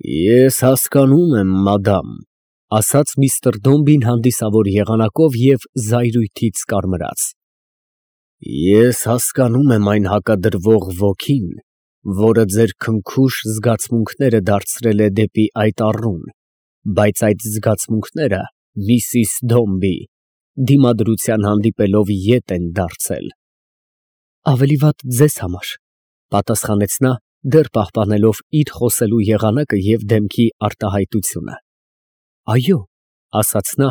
Ես հասկանում եմ, մադամ, ասաց միստր Դոմբին հանդիսավոր եղանակով և զայրույթից կարմրած։ Ես հասկանում եմ այն հակադրվող ոգին, որը ձեր քնքուշ զգացմունքները դարձրել է դեպի այդ առուն, բայց այդ զգացմունքները, միսիս Դոմբի, դիմադրության հանդիպելով ետ են դարձել։ Ավելի վատ ձեզ համար, պատասխանեց նա, դեռ պահպանելով իր խոսելու եղանակը և դեմքի արտահայտությունը։ Այո, ասաց նա,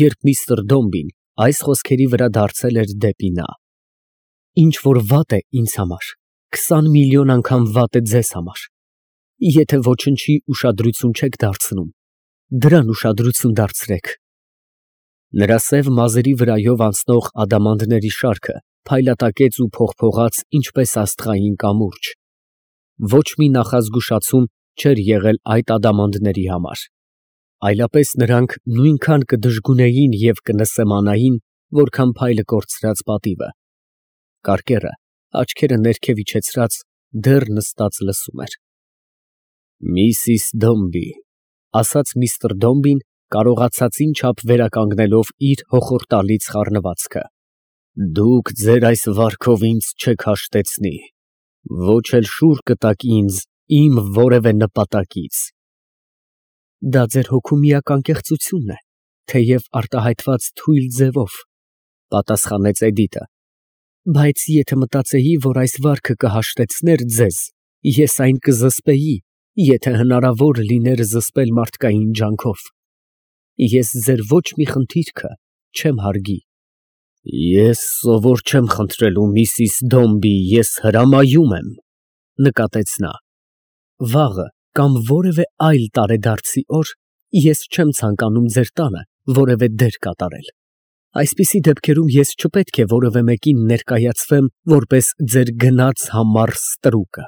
երբ միստր Դոմբին այս խոսքերի վրա դարձել էր դեպի նա։ Ինչ որ վատ է ինձ համար, 20 միլիոն անգամ վատ է ձեզ համար։ Եթե ոչնչի ուշադրություն չեք դարձնում, դրան ուշադրություն դարձրեք։ Նրա սև մազերի վրայով անցնող ադամանդների շարքը փայլատակեց ու փողփողաց ինչպես աստղային կամուրջ։ Ոչ մի նախազգուշացում չէր եղել այդ ադամանդների համար, այլապես նրանք նույնքան կդժգունեին և կնսեմանային, որքան փայլը կորցրած պատիվը։ Կարկերը, աչքերը ներքև իջեցրած, դեռ նստած լսում էր։ Միսիս Դոմբի, ասաց միստր Դոմբին, կարողացածին չափ վերականգնելով իր հոխորտալից խառնվածքը, դուք ձեր այս վարքով ինձ չեք հաշտեցնի, ոչ էլ շուռ կտաք ինձ իմ որևէ նպատակից։ Դա ձեր հոգու միակ անկեղծությունն է, թեև արտահայտված թույլ ձևով, պատասխանեց Էդիտը, բայց եթե մտածեի, որ այս վարքը կհաշտեցներ ձեզ, ես այն կզսպեի, եթե հնարավոր լիներ զսպել մարդկային ջանքով։ Ես ձեր ոչ մի խնդիրքը չեմ հարգի։ Ես սովոր չեմ խնդրելու, միսիս Դոմբի, ես հրամայում եմ, նկատեց նա։ Վաղը կամ որևէ այլ տարեդարձի օր ես չեմ ցանկանում ձեր տանը որևէ դեր կատարել։ Այսպիսի դեպքերում ես չպետք է որևէ մեկին ներկայացվեմ որպես ձեր գնաց համառ ստրուկը։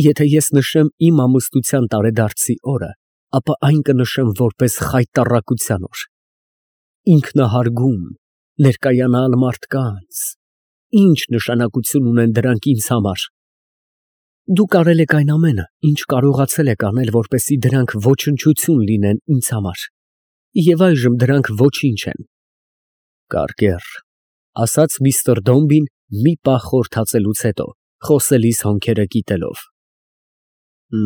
Եթե ես նշեմ իմ ամուսնության տարեդարձի օրը, ապա այն կնշեմ որպես խայտառակության օր։ Ինքնահարգում, ներկայանալ մարդկանց, ինչ նշանակություն ունեն դրանք ինձ համար։ Դուք արել եք այն ամենը, ինչ կարողացել եք անել, որպեսզի դրանք ոչնչություն լինեն ինձ համար, և այժմ դրանք ոչինչ են։ Կարկեր, ասաց միստր Դոմբին մի պահ խորհրդածելուց հետո, խոսելիս հոնքերը կիտելով։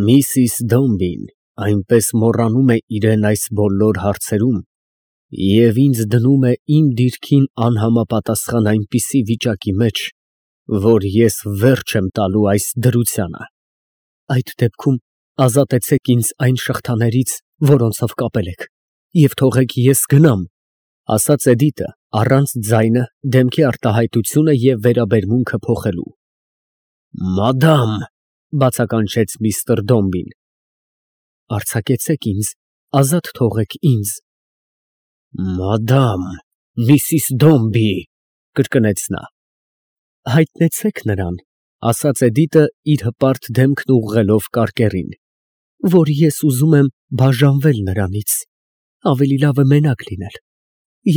Միսիս Դոմբին այնպես մոռանում է իրեն այս բոլոր հարցերում և ինձ դնում է իմ դիրքին անհամապատասխան այնպիսի վիճակի մեջ, որ ես վերջ եմ տալու այս դրությանը։ Այդ դեպքում ազատեցեք ինձ այն շղթաներից, որոնցով կապել եք, և թողեք ես գնամ, ասաց Էդիտը, առանց ձայնը, դեմքի արտահայտությունը և վերաբերմունքը փոխելու։ Մադամ, բացականչեց միստր Դոմբին։ Արձակեցեք ինձ, ազատ թողեք ինձ։ Մադամ, միսիս Դոմբի, կրկնեց նա։ Հայտնեցեք նրան, ասաց Էդիտը իր հպարտ դեմքն ուղղելով կարկերին, որ ես ուզում եմ բաժանվել նրանից, ավելի լավ է մենակ լինել։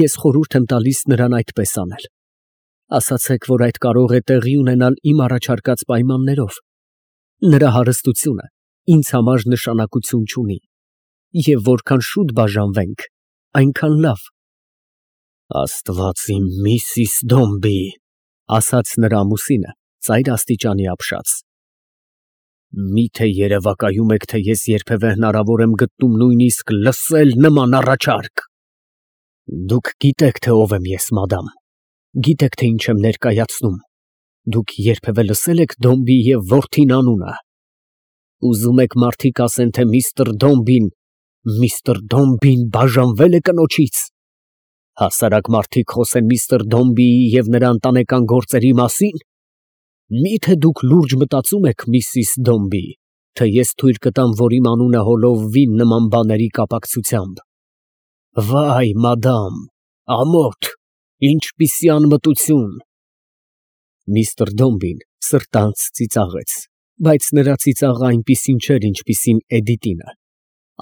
Ես խորհուրդ եմ տալիս նրան այդպես անել։ Ասացեք, որ այդ կարող է տեղի ունենալ իմ առաջարկած պայմաններով։ Նրա հարստությունը ինձ համար նշանակություն չունի, և որքան շուտ բաժանվենք, այնքան լավ։ Աստված իմ, միսիս Դոմբի, ասաց նրա ամուսինը, ծայր աստիճանի ապշած։ Միթե երևակայում եք, թե ես երբևէ հնարավոր եմ գտնում նույնիսկ լսել նման առաջարկ։ Դուք գիտեք, թե ով եմ ես, մադամ, գիտեք, թե ինչ եմ ներկայացնում։ Դուք երբևէ լսել եք Դոմբի և որդին անունը։ Ուզում եք մարդիկ ասեն, թե միստր Դոմբին բաժանվել է կնոջից։ Հասարակ մարդիկ խոսեն միստր Դոմբիի և նրա ընտանեկան գործերի մասին։ Միթե դուք լուրջ մտածում եք, միսիս Դոմբի, թե ես թույլ կտամ, որ իմ անունը հոլովվի նման բաների կապակցությամբ։ Վայ, մադամ, ամոթ, ինչպիսի անմտություն։ Միստր Դոմբին սրտանց ծիծաղեց, բայց նրա ծիծաղը այնպիսին չէր, ինչպիսին Էդիտինը։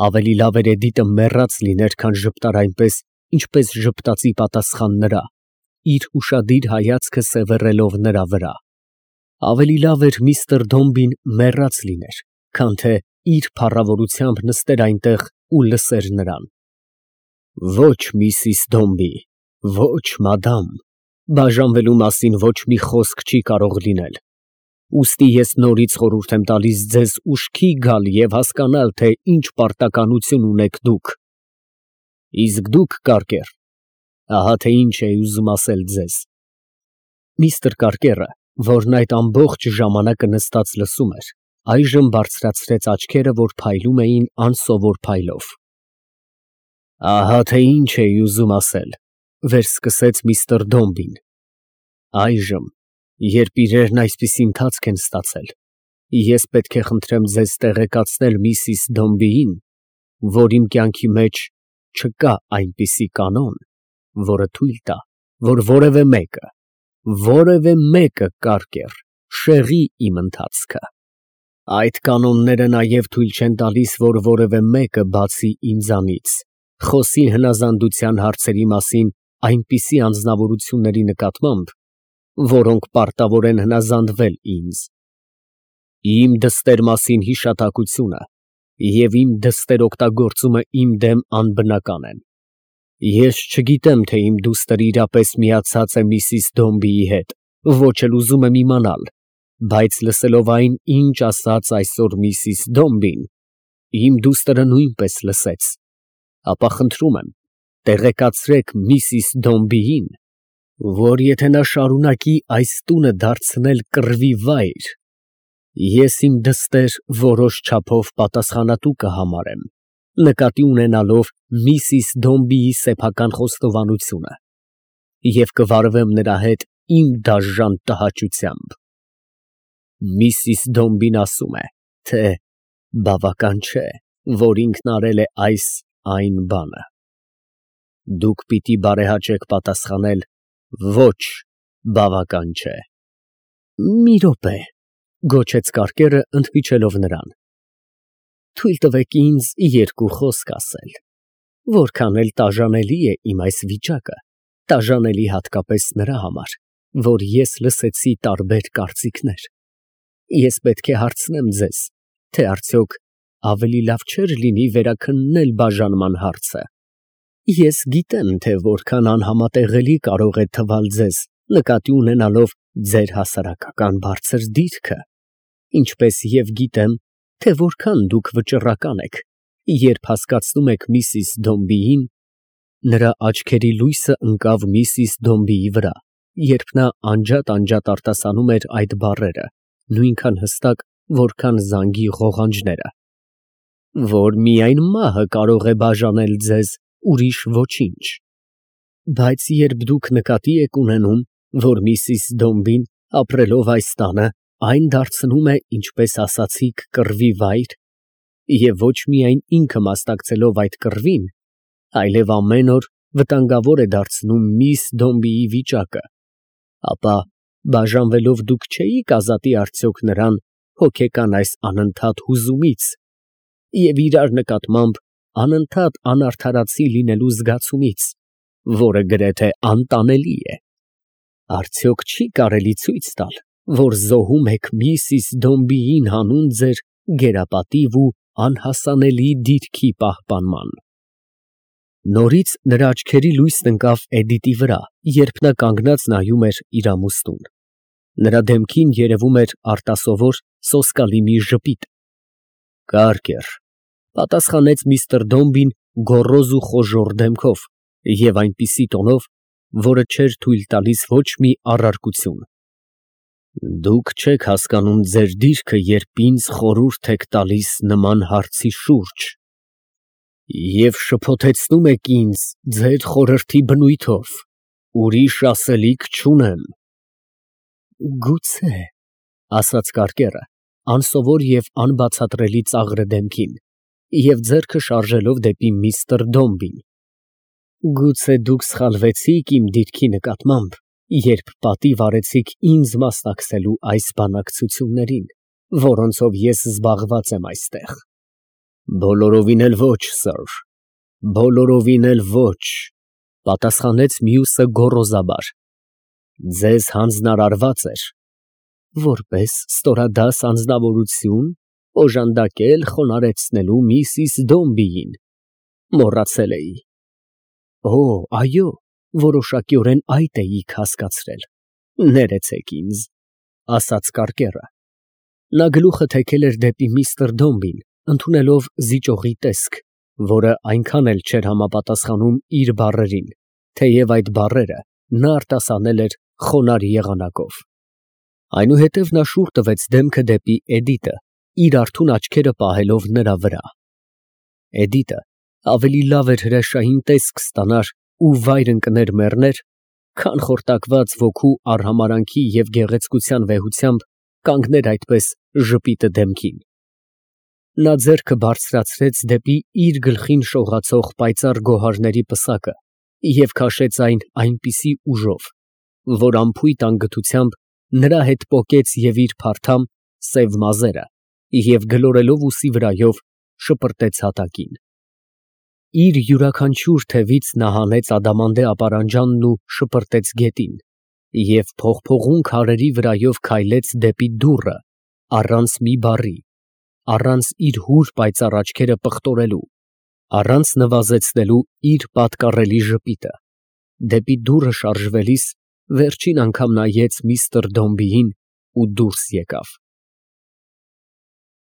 Ավելի լավ էր Էդիտը մեռած լիներ, քան ժպտար այնպես, ինչպես ժպտացի պատասխան նրա, իր ուշադիր հայացքը սևեռելով նրա վրա։ Ավելի լավ էր միստր Դոմբին մեռած լիներ, քան թե իր փառավորությամբ նստեր այնտեղ ու լսեր նրան։ Ոչ, Միսիս Դոմբի, ոչ, մադամ, բաժանվելու մասին ոչ մի խոսք չի կարող լինել։ Ուստի ես նորից խորհուրդ եմ տալիս ձեզ ուշքի գալ և հասկանալ, թե ինչ պարտականություն ունեք դուք։ Իսկ դուք, Կարկեր, ահա թե ինչ էի ուզում ասել ձեզ։ Միստր Կարկերը, որն այդ ամբողջ ժամանակը նստած լսում էր, այժմ բարձրացրեց աչքերը, որ փայլում էին անսովոր փայլով։ Ահա թե ինչ էի ուզում ասել, վերսկսեց միստր Դոմբին։ Այժմ, երբ իրերն այսպիսի ընթացք են ստացել, ես պետք է խնդրեմ ձեզ տեղեկացնել Միսիս Դոմբիին, որ իմ կյանքի մեջ չկա այնպիսի կանոն, որը թույլ տա, որ որևէ մեկը, Կարկեր, շեղի իմ ընթացքը։ Այդ կանոնները նաև թույլ չեն տալիս, որ որևէ մեկը, բացի ինձանից, խոսի հնազանդության հարցերի մասին այնպիսի անձնավորությունների նկատմամբ, որոնք պարտավոր են հնազանդվել ինձ։ Իմ դստեր մասին հիշատակությունը և իմ դստեր օգտագործումը իմ դեմ անբնական են։ Ես չգիտեմ, թե իմ դուստր իրապես միացած է Միսիս Դոմբիի հետ, ոչ էլ ուզում եմ իմանալ, բայց լսելով այն, ինչ ասաց այսօր Միսիս Դոմբին, իմ դուստրը նույնպես լսեց, ապա խնդրում եմ, տեղեկացրեք Միսիս Դոմբիին, որ եթե նա շարունակի այս տունը դարձնել կռվի վայր, ես իմ դստեր որոշ չափով պատասխանատու կհամարեմ, նկատի ունենալով Միսիս Դոմբիի սեփական խոստովանությունը, և կվարվեմ նրա հետ իմ դաժան տհաճությամբ։ Միսիս Դոմբին ասում է, թե բավական չէ, որ ինքն արել է այն բանը։ Դուք պիտի բարեհաճեք պատասխանել. ոչ, բավական չէ։ Մի րոպե, գոչեց Կարկերը, ընդմիջելով նրան։ Թույլ տվեք ինձ երկու խոսք ասել։ Որքան էլ տաժանելի է իմ այս վիճակը, տաժանելի հատկապես նրա համար, որ ես լսեցի տարբեր կարծիքներ։ Ես պետք է հարցնեմ ձեզ, թե արդյոք ավելի լավ չէր լինի վերաքննել բաժանման հարցը։ Ես գիտեմ, թե որքան անհամատեղելի կարող է թվալ ձեզ, նկատի ունենալով ձեր հասարակական բարձր դիրքը, ինչպես և գիտեմ, թե որքան դուք վճռական եք, երբ հասկացնում եք Միսիս Դոմբիին։ Նրա աչքերի լույսը ընկավ Միսիս Դոմբիի վրա, երբ նա անջատ արտասանում էր այդ բառերը, նույնքան հստակ, որքան զանգի ղողանջները, որ միայն մահը կարող է բաժանել ձեզ, ուրիշ ոչինչ։ Բայց երբ դուք նկատի եք ունենում, որ Միսիս Դոմբին, ապրելով այս տանը, այն դարձնում է, ինչպես ասացիք, կռվի վայր, և ոչ միայն ինքը մասնակցելով այդ կռվին, այլև ամեն օր վտանգավոր է դարձնում միս Դոմբիի վիճակը, ապա բաժանվելով դուք չէիք ազատի արդյոք նրան հոգեկան այս անընդհատ հուզումից և իրար նկատմամբ անընդհատ անարդարացի լինելու զգացումից, որը գրեթե անտանելի է։ Արդյոք չի կարելի ցույց տալ, որ զոհում եք Միսիս Դոմբիին հանուն ձեր գերապատիվ ու անհասանելի դիրքի պահպանման։ Նորից նրա աչքերի լույսն ընկավ Էդիտի վրա, երբ նա կանգնած նայում էր իր ամուսնուն։ Նրա դեմքին երևում էր արտասովոր սոսկալի մի ժպիտ։ Կարկեր, պատասխանեց միստր Դոմբին գոռոզ ու խոժոռ դեմքով և այնպիսի տոնով, որը չէր թույլ տալիս ոչ մի առարկություն։ Դուք չեք հասկանում ձեր դիրքը, երբ ինձ խորհուրդ եք տալիս նման հարցի շուրջ և շփոթեցնում եք ինձ ձեր խորհրդի բնույթով, ուրիշ ասելիք չունեմ։ Գուցե, ասաց Կարկերը, անսովոր և անբացատրելի ծաղրը դեմքին, և ձեռքը շարժելով դեպի միստր Դոմբին։ Գուցե դուք սխալվեցիք իմ դիրքի նկատմամբ, երբ պատիվ արեցիք ինձ մասնակցելու այս բանակցություններին, որոնցով ես զբաղված եմ այստեղ։ Բոլորովին էլ ոչ, սըր, բոլորովին էլ ոչ, պատասխանեց մյուսը գոռոզաբար։ Ձեզ հանձնարարված էր, որպես ստորադաս անձնավորություն, օժանդակել խոնարհեցնելու միսիս Դոմբիին։ Մոռացել էի։ Օ, այո, որոշակիորեն այդ էիք հասկացրել։ Ներեցեք ինձ, ասաց կարկերը։ Նա գլուխը թեքել էր դեպի միստր Դոմբին, ընդունելով զիջողի տեսք, որը այնքան էլ չէր համապատասխանում իր բառերին, թեև այդ բառերը նա արտասանել էր խոնարհ եղանակով։ Այնուհետև նա շուռ տվեց դեմքը դեպի Էդիտը, իր արթուն աչքերը պահելով նրա վրա։ Էդիտը ավելի լավ էր հրաշային տեսք ստանար ու վայր ընկներ մեռներ, քան խորտակված ոգու արհամարանքի և գեղեցկության վեհությամբ կանգներ այդպես ժպիտը դեմքին։ Նա ձեռքը բարձրացրեց դեպի իր գլխին շողացող պայծառ գոհարների պսակը և քաշեց այն այնպիսի ուժով, որ անփույթ անգթությամբ նրա հետ պոկեց և իր փարթամ, սև մազերը և գլորելով ուսի վրայով շպրտեց հատակին։ Իր յուրաքանչյուր թևից նա հանեց ադամանդե ապարանջանն ու շպրտեց գետին և փողփողուն քարերի վրայով քայլեց դեպի դուռը, առանց մի բառի, առանց իր հուր պայծառ աչքերը պղտորելու, առանց նվազեցնելու իր պատկառելի ժպիտը, դեպի դուռը շարժվելիս վերջին անգամ նայեց միստր Դոմբիին ու դուրս եկավ։